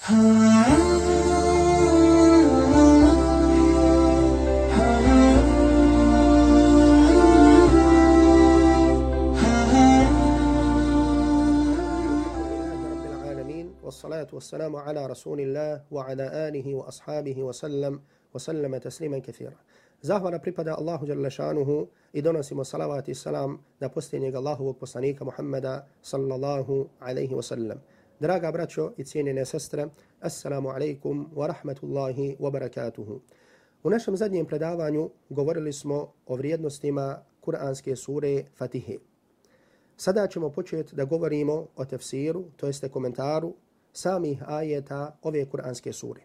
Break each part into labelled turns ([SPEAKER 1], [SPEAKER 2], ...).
[SPEAKER 1] والصلاة والسلام على رسول الله وعلى آله وأصحابه وسلم تسليما كثيرا. Zahvala pripada Allahu dželle šanuhu i donosimo salavat i salam na posljednjeg Allahovog poslanika Muhammeda sallallahu alejhi ve sellem. Draga braćo i cijenjene sestre, assalamu alejkum wa rahmatullahi wa barakatuhu. U našem zadnjem predavanju govorili smo o vrijednostima kuranske sure Fatihe. Sada ćemo početi da govorimo o tefsiru, to jeste komentaru samih ajeta ove kuranske sure.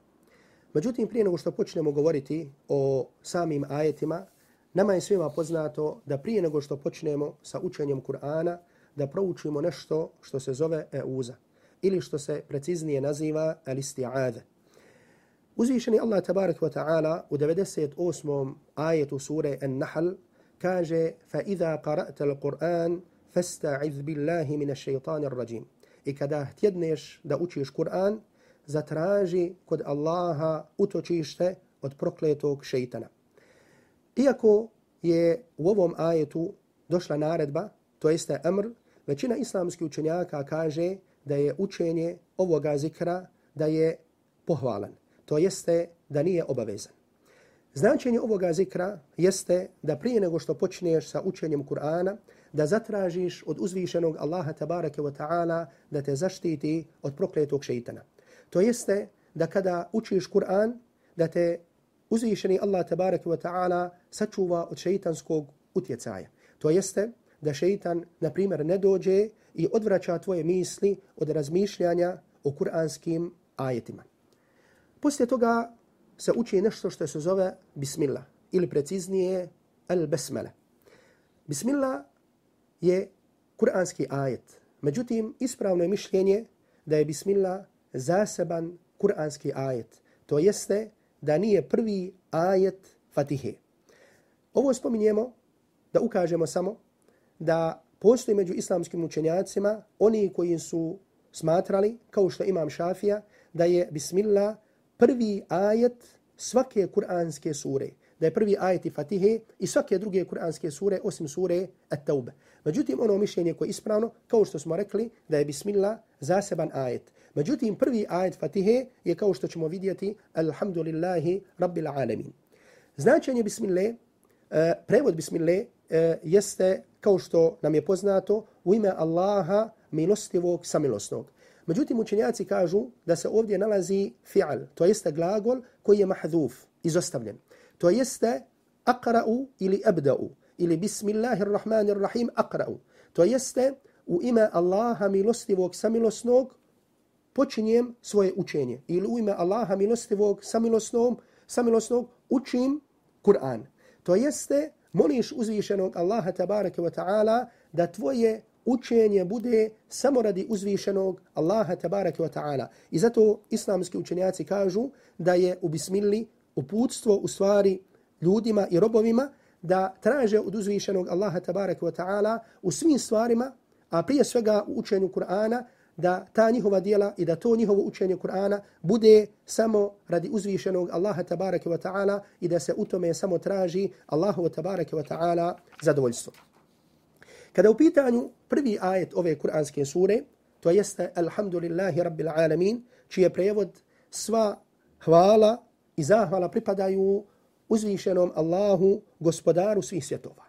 [SPEAKER 1] Međutim, prije nego što počnemo govoriti o samim ajetima, nama je svima poznato da prije nego što počnemo sa učenjem Kur'ana, da proučimo nešto što se zove euza, ili što se preciznije naziva al-isti'adha. Uzvišeni Allah tabarak wa ta'ala u 98. ajetu sure An-Nahl kaže فَإِذَا قَرَأْتَ الْقُرْآنِ فَاسْتَعِذْ بِاللَّهِ مِنَ الشَّيْطَانِ الرَّجِيمِ. I kada htjedneš da učiš Kur'an, zatraži kod Allaha utočište od prokletog šejtana. Iako je u ovom ajetu došla naredba, to jeste amr, većina islamskih učenjaka kaže da je učenje ovoga zikra da je pohvalan, to jeste da nije obavezan. Značenje ovoga zikra jeste da prije nego što počneš sa učenjem Kur'ana, da zatražiš od uzvišenog Allaha tabaraka wa ta'ala da te zaštiti od prokletog šejtana. To jeste da kada učiš Kur'an, da te uzvišeni Allah tabaraka wa ta'ala sačuva od šejtanskog utjecaja. To jeste da šejtan, na primjer, ne dođe i odvraća tvoje misli od razmišljanja o kuranskim ajetima. Poslije toga se uči nešto što se zove Bismillah, ili preciznije Al-Basmala. Bismillah je kuranski ajet. Međutim, ispravno je mišljenje da je Bismillah zaseban kuranski ajet. To jeste da nije prvi ajet Fatihe. Ovo spominjemo da ukažemo samo da postoji među islamskim učenjacima oni koji su smatrali, kao što Imam Šafija, da je Bismillah prvi ajet svake kuranske sure. Da je prvi ajet i Fatihe i svake druge kuranske sure osim sure At-Tauba. Međutim, ono mišljenje koje je ispravno, kao što smo rekli, da je Bismillah zaseban ajet. Međutim, prvi ajet Fatihe je, kao što ćemo vidjeti, Alhamdulillahi Rabbil Alamin. Značenje Bismillah, prevod Bismillah jeste, kao što nam je poznato, u ime Allaha milostivog samilosnog. Međutim, učenjaci kažu da se ovdje nalazi fi'al, to jeste glagol koji je mahdhuf, izostavljen. To jeste aqra'u ili abda'u, ili bismillahirrahmanirrahim aqra'u. To jeste u ime Allaha milostivog samilosnog počinjem svoje učenje. Ili u ime Allaha milostivog samilosnog učim Kur'an. To jeste moliš uzvišenog Allaha tabaraka wa ta'ala da tvoje učenje bude samo radi uzvišenog Allaha tabaraka wa ta'ala. I zato islamski učenjaci kažu da je u bismilli uputstvo u stvari ljudima i robovima da traže od uzvišenog Allaha tabaraka wa ta'ala u svim stvarima, a prije svega u učenju Kur'ana, da ta njihova djela i da to njihovo učenje Kur'ana bude samo radi uzvišenog Allaha tabaraka wa ta'ala i da se u tome samo traži Allahu tabaraka wa ta'ala zadovoljstvo. Kada u pitanju prvi ajet ove kuranske sure, to jeste Alhamdulillahi Rabbil Alamin, čiji je prevod sva hvala i zahvala pripadaju uzvišenom Allahu, gospodaru svih svjetova.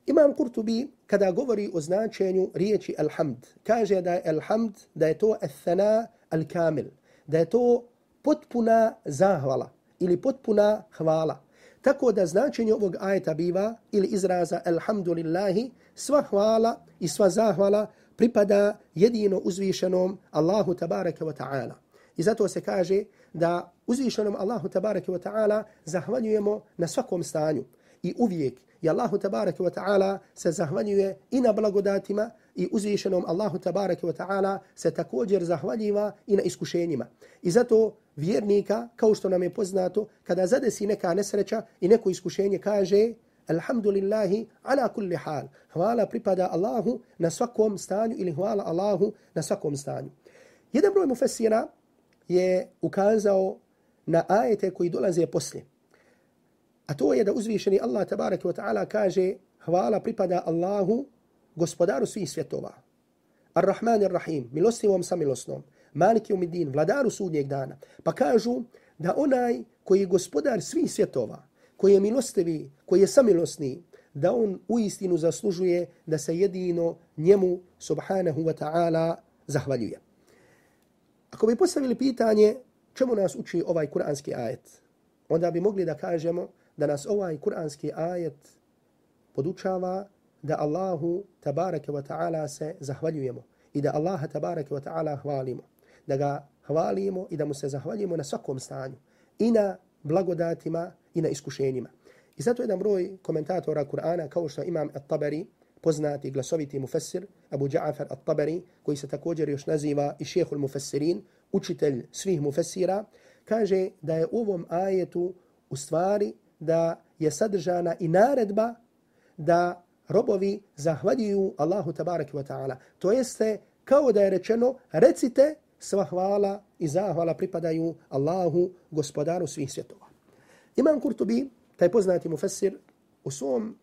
[SPEAKER 1] Imam Kurtubi, kada govori o značenju riječi alhamd, kaže da je alhamd, da je to al-thana al-kamil, da je to potpuna zahvala ili potpuna hvala. Tako da značenje ovog ajeta biva ili izraza alhamdulillahi, sva hvala i sva zahvala pripada jedino uzvišenom Allahu tabaraka wa ta'ala. I zato se kaže da uzvišenom Allahu tabaraka wa ta'ala zahvaljujemo na svakom stanju. I uvijek i Allahu tabaraka wa ta'ala se zahvaljuje i na blagodatima i uzvišenom Allahu tabaraka wa ta'ala se također zahvaljiva i na iskušenjima. I zato vjernika, kao što nam je poznato, kada zadesi neka nesreća i neko iskušenje, kaže Alhamdulillahi ala kulli hal. Hvala pripada Allahu na svakom stanju ili hvala Allahu na svakom stanju. Jedan broj mufessira je ukazao na ajete koji dolaze poslije. A to je da uzvišeni Allah tabaraka wa ta'ala kaže hvala pripada Allahu, gospodaru svih svjetova. Ar-Rahman ar-Rahim, milostivom samilosnom, Maliki umidin, vladaru sudnjeg dana. Pa kažu da onaj koji je gospodar svih svjetova, koji je milostivi, koji je samilosni, da on uistinu zaslužuje da se jedino njemu subhanahu wa ta'ala zahvaljuje. Ako bi postavili pitanje čemu nas uči ovaj kuranski ajet, onda bi mogli da kažemo da nas ovaj kuranski ajet podučava da Allahu tabaraka wa ta'ala se zahvaljujemo i da Allaha tabaraka wa ta'ala hvalimo. Da ga hvalimo i da mu se zahvaljujemo na svakom stanju. I na blagodatima i na iskušenjima. I zato jedan broj komentatora Kur'ana, kao što imam At-Tabari, poznati glasoviti mufassir, Abu Ja'far At-Tabari, koji se također još naziva i šehul mufassirin, učitelj svih mufassira, kaže da je u ovom ajetu u stvari da je sadržana i naredba da robovi zahvaljuju Allahu tabaraka wa ta'ala. To jeste kao da je rečeno recite sva hvala i zahvala pripadaju Allahu, gospodaru svih svjetova. Imam Kurtubi, taj poznati mufassir, u svom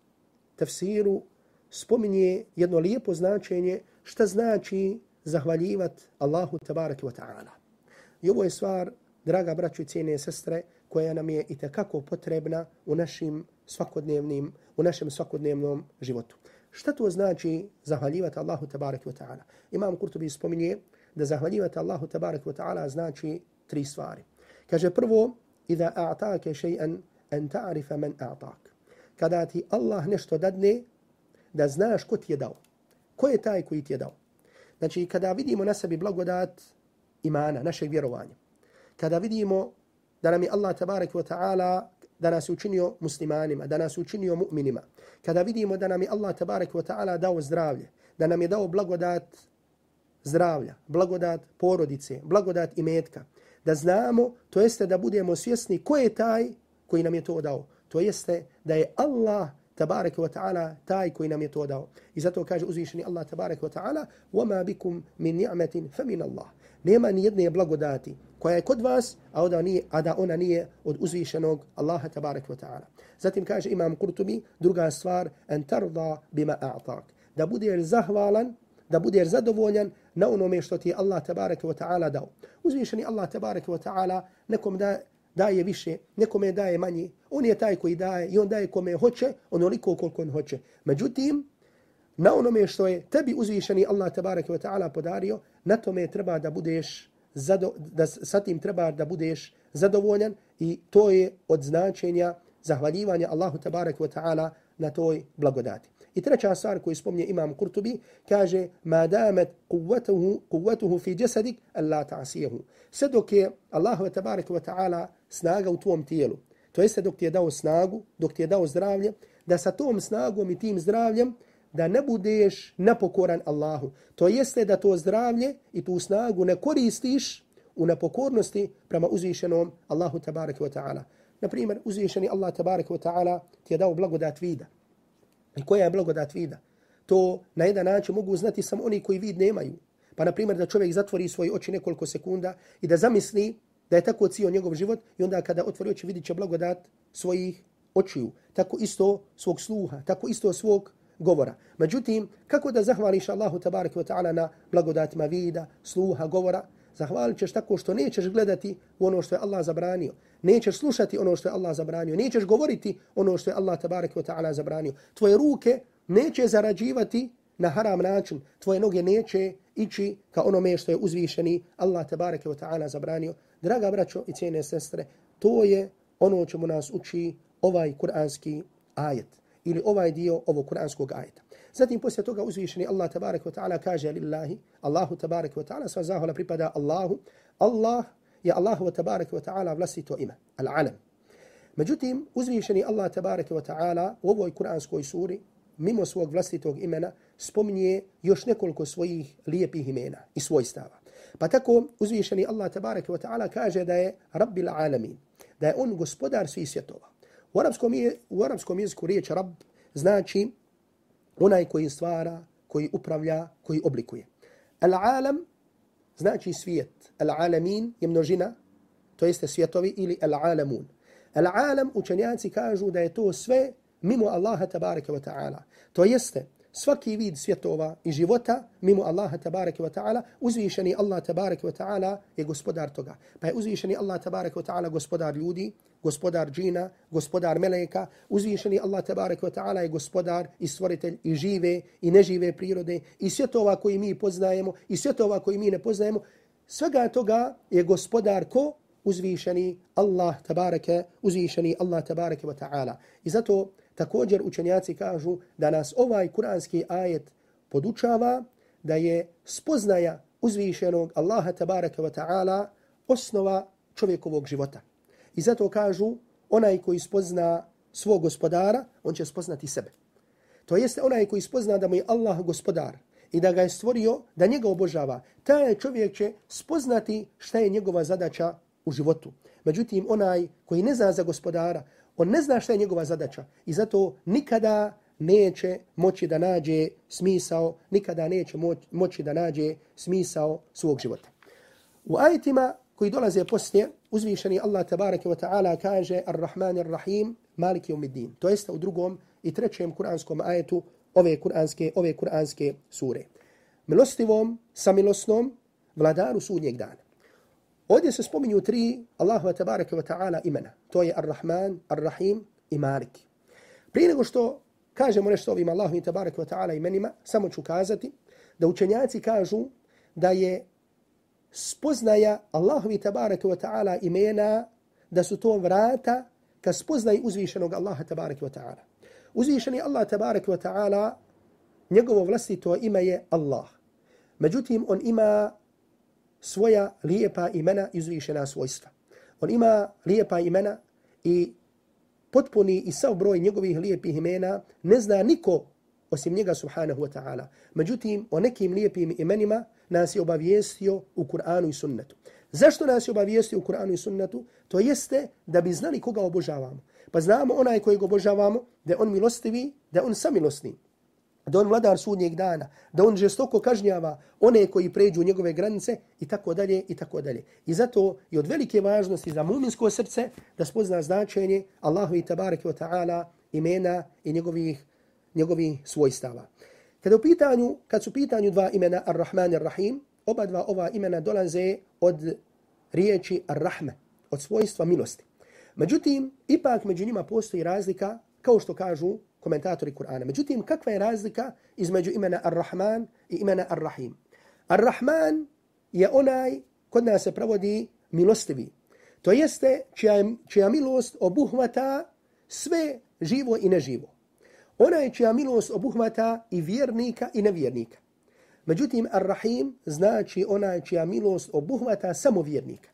[SPEAKER 1] tafsiru spominje jedno lijepo značenje šta znači zahvaljivati Allahu tabaraka wa ta'ala. I ovo je stvar, draga braćo i cijene sestre, koja nam je itekako potrebna u našem svakodnevnom životu. Šta to znači zahvaljivati Allahu tabaraka wa ta'ala? Imam Kurtubi spominje da zahvaljivati Allahu tabaraka wa ta'ala znači 3 stvari. Kaže prvo, iza a'take še'an an ta'rifa man a'tak. Kada ti Allah nešto dadne, da znaš ko ti je dao. Ko je taj koji ti je dao? Znači, kada vidimo na sebi blagodat imana, našeg vjerovanja, kada vidimo da nam je Allah tabaraka wa ta'ala, da nas je učinio muslimanima, da nas je učinio mu'minima, kada vidimo da nam je Allah tabaraka wa ta'ala dao zdravlje, da nam je dao blagodat zdravlja, blagodat porodice, blagodat imetka, da znamo, to jeste da budemo svjesni ko je taj koji nam je to dao. To jeste da je Allah tabaraka wa ta'ala taj koji nam je to dao. I zato kaže uzvišeni Allah tabaraka wa ta'ala وَمَا بِكُمْ مِنْ نِعْمَةٍ فَمِنَ اللَّهِ. Nema ni jedne blagodati koja je kod vas, a da ona nije od uzvišenog Allaha tabaraka wa ta'ala. Zatim kaže imam Kurtubi, druga stvar, en tarda bima a'tak. Da budeš zahvalan, da budeš zadovoljan na onome što ti je Allah tabaraka wa ta'ala dao. Uzvišeni Allah tabaraka wa ta'ala nekom daje više, nekome daje manje. On je taj koji daje i on daje kome hoće, onoliko koliko on hoće. Međutim, na onome što je tebi uzvišeni Allah tabaraka wa ta'ala podario, na tome treba da budeš sa tim treba da budeš zadovoljan i to je od značenja zahvaljivanja Allahu tabaraka wa ta'ala na toj blagodati. I treća stvar koju spominje imam Kurtubi, kaže ma damat quwwatuhu fi jasadik alla ta'siyahu. Sve dok je Allahu tabaraka wa ta'ala snaga u tvom tijelu, to jeste dok ti je dao snagu, dok ti je dao zdravlje, da sa tom snagom i tim zdravljem da ne budeš nepokoran Allahu. To jeste da to zdravlje i tu snagu ne koristiš u nepokornosti prema uzvišenom Allahu tabaraka wa ta'ala. Na primjer, uzvišeni Allah tabaraka wa ta'ala ti je dao blagodat vida. I koja je blagodat vida? To na jedan način mogu znati samo oni koji vid nemaju. Pa na primjer da čovjek zatvori svoje oči nekoliko sekunda i da zamisli da je tako cijel njegov život i onda kada otvori oči vidit će blagodat svojih očiju. Tako isto svog sluha, tako isto svog govora. Međutim, kako da zahvališ Allahu tabaraka wa ta'ala na blagodatima vida, sluha, govora? Zahvalit ćeš tako što nećeš gledati u ono što je Allah zabranio. Nećeš slušati ono što je Allah zabranio. Nećeš govoriti ono što je Allah tabaraka wa ta'ala zabranio. Tvoje ruke neće zarađivati na haram način. Tvoje noge neće ići ka onome što je uzvišeni Allah tabaraka wa ta'ala zabranio. Draga braćo i cijene sestre, to je ono čemu nas uči ovaj kuranski ajet ili ovaj dio ovog kuranskog ajeta. Zatim poslije toga uzvišeni Allah tabaraka wa ta'ala kaže lillahi, Allahu tabaraka wa ta'ala, sva zahvala pripada Allahu. Allah je Allahu tabaraka wa ta'ala vlastito ime, al-alam. Međutim, uzvišeni Allah tabaraka wa ta'ala u ovoj kuranskoj suri, mimo svog vlastitog imena, spominje još nekoliko svojih lijepih imena i svojstava. Pa tako uzvišeni Allah tabaraka wa ta'ala kaže da je Rabbil alamin, da je on gospodar svih svjetova. U arapskom jeziku riječ Rab znači onaj koji stvara, koji upravlja, koji oblikuje. Al-alam znači svijet. Al-alamin je množina, to jeste svjetovi ili al-alamun. Al-alam učenjaci kažu da je to sve mimo Allaha tabaraka wa ta'ala. To jeste svaki vid svjetova i života mimo Allaha tabaraka wa ta'ala, uzvišeni Allah tabaraka wa ta'ala je gospodar toga. Pa je uzvišeni Allah tabaraka wa ta'ala gospodar ljudi, gospodar džina, gospodar meleka, uzvišeni Allah tabaraka wa ta'ala je gospodar i stvoritelj i žive i nežive prirode i svjetova koji mi poznajemo i svjetova koji mi ne poznajemo. Svega toga je gospodar ko? Uzvišeni Allah tabaraka wa ta'ala. I zato također učenjaci kažu da nas ovaj kuranski ajet podučava da je spoznaja uzvišenog Allaha tabaraka wa ta'ala osnova čovjekovog života. I zato kažu onaj koji spozna svog gospodara, on će spoznati sebe. To jeste onaj koji spozna da mu je Allah gospodar i da ga je stvorio, da njega obožava, taj čovjek će spoznati šta je njegova zadaća u životu. Međutim, onaj koji ne zna za gospodara, on ne zna šta je njegova zadaća i zato nikada neće moći da nađe smisao, nikada neće moći da nađe smisao svog života. U ajetima koji dolaze poslije, uzvišeni Allah tabaraka wa ta'ala kaže Ar-Rahman Ar-Rahim, Maliki Yawmiddin. To jeste u drugom i trećem kuranskom ajetu ove kuranske sure. Milostivom, samilosnom, vladaru sudnjeg dana. Ovdje se spominju tri Allahova tabaraka wa ta'ala imena. To je Ar-Rahman, Ar-Rahim i Malik. Prije nego što kažemo nešto ovim Allahovim tabaraka wa ta'ala imenima, samo ću kazati da učenjaci kažu da je spoznaja Allahovi tabaraka wa ta'ala imena, da su to vrata ka spoznaju uzvišenog Allaha tabaraka wa ta'ala. Uzvišeni Allah tabaraka wa ta'ala, njegovo vlastito ime je Allah. Međutim, on ima svoja lijepa imena i uzvišena svojstva. On ima lijepa imena i potpuni i sav broj njegovih lijepih imena ne zna niko osim njega subhanahu wa ta'ala. Međutim, o nekim lijepim imenima nas je obavijestio u Kur'anu i sunnetu. Zašto nas je obavijestio u Kur'anu i sunnetu? To jeste da bi znali koga obožavamo. Pa znamo onaj kojeg obožavamo, da je on milostivi, da je on samilosni, da on vladar sudnjeg dana, da on žestoko kažnjava one koji pređu njegove granice i tako dalje i tako dalje. I zato je od velike važnosti za mu'minsko srce da spozna značenje Allahovi tabaraka wa ta'ala imena i njegovih svojstava. Kad su pitanju dva imena Ar-Rahman i Ar-Rahim, oba dva ova imena dolaze od riječi Ar-Rahme, od svojstva milosti. Međutim, ipak među njima postoji razlika, kao što kažu komentatori Kur'ana. Međutim, kakva je razlika između imena Ar-Rahman i imena Ar-Rahim? Ar-Rahman je onaj, kod nas se prevodi milostivi. To jeste čija milost obuhvata sve živo i neživo. Onaj čija milost obuhvata i vjernika i nevjernika. Međutim, Ar-Rahim znači onaj čija milost obuhvata samo vjernika.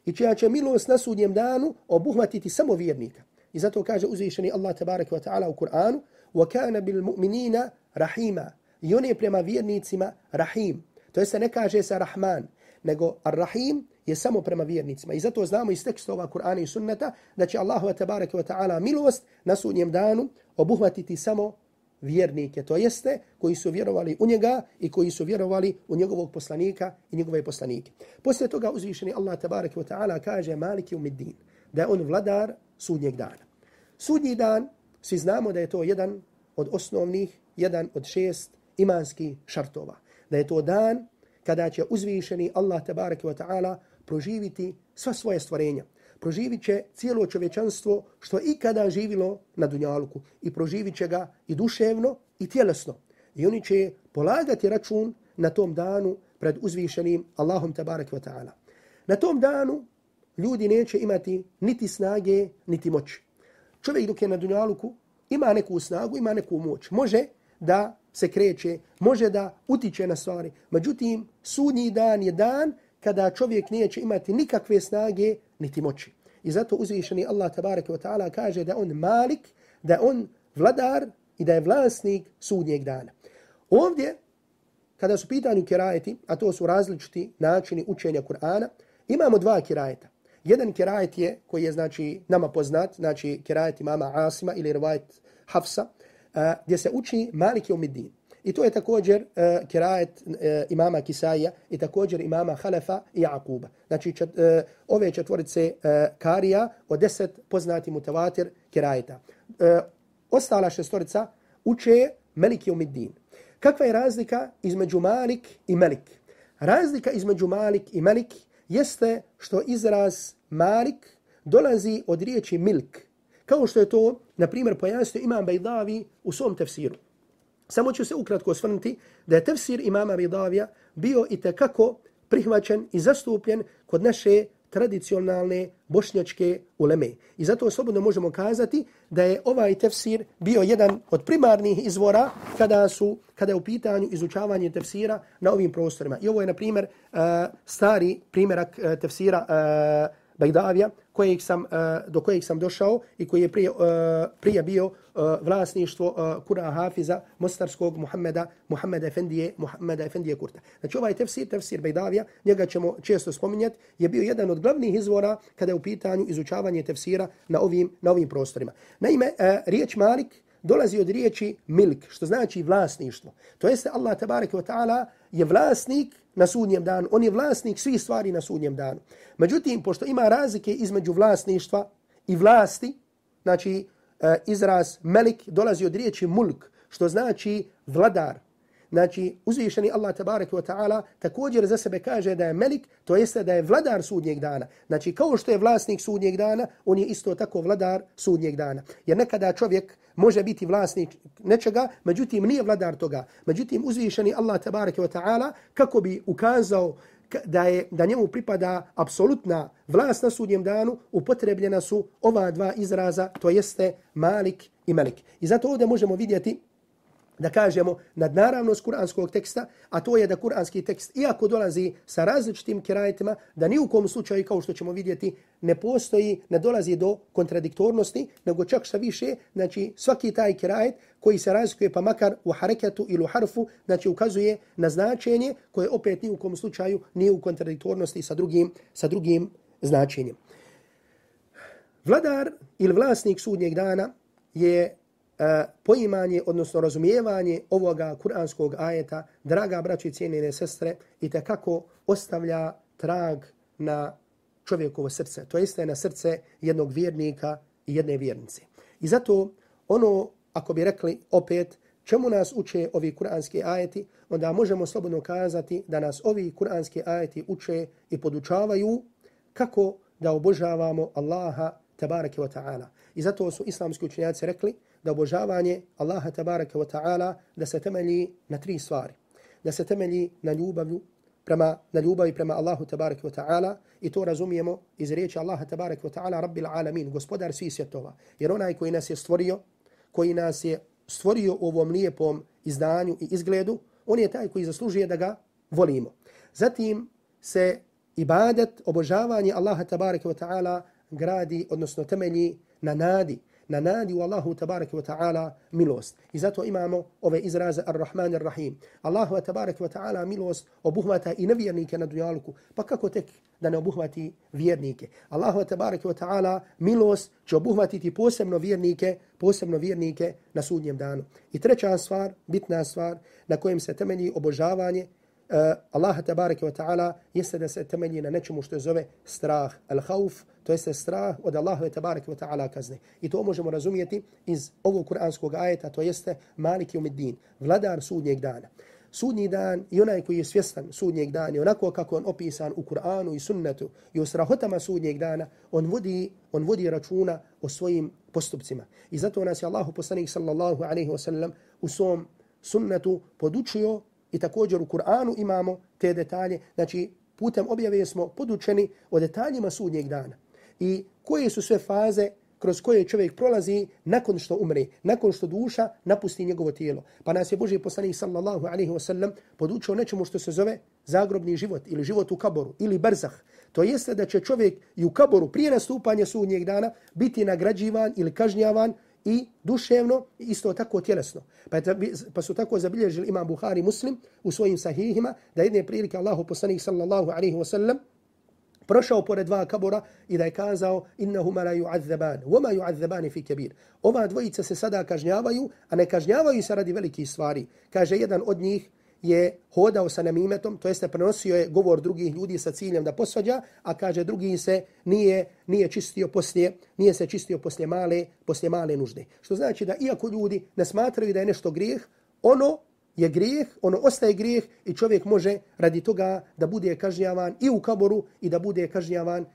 [SPEAKER 1] I čija će milost na sudnjem danu obuhvatiti samo vjernika. I zato kaže uzvišeni Allah tabaraka wa ta'ala u Kur'anu وَكَانَ بِالْمُؤْمِنِينَ رَحِيمًا. I on je prema vjernicima Rahim. To jest ne kaže se Rahman, nego Ar-Rahim je samo prema vjernicima. I zato znamo iz tekstova Kur'ana i sunneta da će Allahu tabaraka wa ta'ala milost na sudnjem danu obuhvatiti samo vjernike. To jeste koji su vjerovali u njega i koji su vjerovali u njegovog poslanika i njegove poslanike. Poslije toga uzvišeni Allah tabaraka wa ta'ala kaže Maliki Yawmiddin, da je on vladar sudnjeg dana. Sudnji dan, svi znamo da je to jedan od osnovnih, jedan od 6 imanskih šartova. Da je to dan kada će uzvišeni Allah tabaraka wa ta'ala proživiti sva svoje stvorenja. Proživit će cijelo čovječanstvo što ikada živilo na dunjaluku i proživit će ga i duševno i tjelesno. I oni će polagati račun na tom danu pred uzvišenim Allahom tabaraka wa ta'ala. Na tom danu ljudi neće imati niti snage, niti moći. Čovjek dok je na dunjaluku ima neku snagu, ima neku moć. Može da se kreće, može da utiče na stvari. Međutim, sudnji dan je dan kada čovjek neće imati nikakve snage, niti moći. I zato uzvišeni Allah tabaraka wa ta'ala kaže da on malik, da on vladar i da je vlasnik sudnjeg dana. Ovdje, kada su pitanju kirajeti, a to su različiti načini učenja Kur'ana, imamo dva kirajeta. Jedan kirajet je, koji je znači nama poznat, znači kirajet imama Asima ili rivajet Hafsa, gdje se uči Maliki Yawmiddin. I to je također kirajet imama Kisaija i također imama Halefa i Jakuba. Znači ove četvorice karija od 10 poznati mutavatir kirajeta. Ostala šestorica uče Melik Jeumiddin. Kakva je razlika između Malik i Melik? Razlika između Malik i Melik jeste što izraz Malik dolazi od riječi milk, kao što je to, na primjer, pojasnio Imam Bejdavi u svom tefsiru. Samo ću se ukratko osvrnuti da je tefsir imama Bejdavija bio itekako prihvaćen i zastupljen kod naše tradicionalne bošnjačke uleme. I zato slobodno možemo kazati da je ovaj tefsir bio jedan od primarnih izvora kada je u pitanju izučavanje tefsira na ovim prostorima. I ovo je, na primjer, stari primjerak tefsira Bejdavija, do kojeg sam došao i koji je prije bio vlasništvo Kur'a Hafiza Mostarskog Muhammeda Efendije Kurta. Znači ovaj tefsir Bejdavija, njega ćemo često spominjati, je bio jedan od glavnih izvora kada je u pitanju izučavanje tefsira na ovim prostorima. Naime, riječ Malik dolazi od riječi milk, što znači vlasništvo. To jeste Allah tabaraka wa ta'ala je vlasnik na sudnjem danu. On je vlasnik svih stvari na sudnjem danu. Međutim, pošto ima razlike između vlasništva i vlasti, znači izraz melik dolazi od riječi mulk, što znači vladar. Znači, uzvišeni Allah tabaraka wa ta'ala također za sebe kaže da je melik, to jeste da je vladar sudnjeg dana. Znači, kao što je vlasnik sudnjeg dana, on je isto tako vladar sudnjeg dana. Jer nekada čovjek može biti vlasnik nečega, međutim nije vladar toga. Međutim, uzvišeni Allah tabaraka wa ta'ala, kako bi ukazao da njemu pripada apsolutna vlast na sudnjem danu, upotrebljena su ova dva izraza, to jeste Malik i Melik. I zato ovdje možemo vidjeti da kažemo nadnaravnost kuranskog teksta, a to je da kuranski tekst, iako dolazi sa različitim kirajetima, da ni u kom slučaju, kao što ćemo vidjeti, ne dolazi do kontradiktornosti, nego čak šta više, znači svaki taj kirajet koji se razlikuje pa makar u hareketu ili u harfu, znači ukazuje na značenje koje opet ni u kom slučaju nije u kontradiktornosti sa drugim značenjem. Vladar ili vlasnik sudnjeg dana je poimanje, odnosno razumijevanje ovoga kuranskog ajeta, draga braćo i cijenjene sestre, i tekako ostavlja trag na čovjekovo srce, to jeste na srce jednog vjernika i jedne vjernice. I zato ako bi rekli opet, čemu nas uče ovi kuranski ajeti, onda možemo slobodno kazati da nas ovi kuranski ajeti uče i podučavaju kako da obožavamo Allaha tabaraka wa ta'ala. I zato su islamski učenjaci rekli da obožavanje Allaha tabaraka wa ta'ala da se temelji na 3 stvari. Da se temelji na ljubavi prema Allahu tabaraka wa ta'ala, i to razumijemo iz riječi Allaha tabaraka wa ta'ala Rabbil alamin, gospodar svih svjetova. Jer onaj koji nas je stvorio u ovom lijepom izdanju i izgledu, on je taj koji zaslužuje da ga volimo. Zatim se ibadet, obožavanje Allaha tabaraka wa ta'ala gradi, odnosno temelji na nadi u Allahu tabaraka wa ta'ala milost. I zato imamo ove izraze Ar-Rahman Ar-Rahim. Allahu tabaraka wa ta'ala milost obuhvata i nevjernike na dunjaluku, pa kako tek da ne obuhvati vjernike. Allahu tabaraka wa ta'ala milost će obuhvatiti posebno vjernike na sudnjem danu. I treća stvar, bitna stvar na kojem se temelji obožavanje Allaha tabaraka wa ta'ala jeste da se temelji na nečemu što zove strah, al-hauf, to jeste strah od Allaha tabaraka wa ta'ala kazne. I to možemo razumjeti iz ovog kuranskog ajeta, to jeste Malik Jeumiddin, vladar sudnjeg dana. Sudnji dan i onaj koji je svjestan sudnjeg dana i onako kako on opisan u Kur'anu i sunnetu i u strahotama sudnjeg dana, on vodi računa o svojim postupcima. I zato nas je Allahu poslanik sallallahu alejhi ve sellem u svom sunnetu podučio. I također u Kur'anu imamo te detalje, znači putem objave smo podučeni o detaljima sudnjeg dana. I koje su sve faze kroz koje čovjek prolazi nakon što umre, nakon što duša napusti njegovo tijelo. Pa nas je Božji poslanik sallallahu alejhi ve sellem podučio nečemu što se zove zagrobni život ili život u kaboru ili barzah. To jeste da će čovjek i u kaboru prije nastupanja sudnjeg dana biti nagrađivan ili kažnjavan i duševno i isto tako tjelesno. Pa su tako zabilježili Imam Buhari Muslim u svojim sahihima da jedne prilike Allahu poslanik sallallahu alejhi ve sellem prošao pored dva kabura i da je kazao innahuma la yu'azzaban wama yu'azzaban fi kabir. Ova dvojica se sada kažnjavaju, a ne kažnjavaju se radi velikih stvari. Kaže, jedan od njih je hodao sa namimetom, to jeste prenosio je govor drugih ljudi sa ciljem da posvađa, a kaže drugi se nije čistio poslije male nužde. Što znači da iako ljudi ne smatraju da je nešto grijeh, ono je grijeh, ono ostaje grijeh i čovjek može radi toga da bude kažnjavan i u kaboru i da bude kažnjavan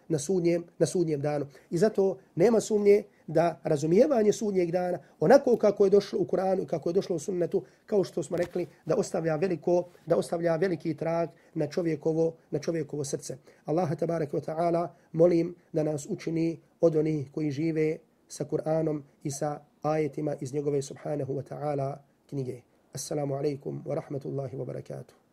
[SPEAKER 1] na sudnjem danu. I zato nema sumnje da razumijevanje sudnjeg dana, onako kako je došlo u Kur'anu i kako je došlo u sunnetu, kao što smo rekli, da ostavlja veliki trag na čovjekovo srce. Allaha tabaraka wa ta'ala molim da nas učini od onih koji žive sa Kur'anom i sa ajetima iz njegove subhanahu wa ta'ala knjige. Assalamu alaikum wa rahmatullahi wa barakatuh.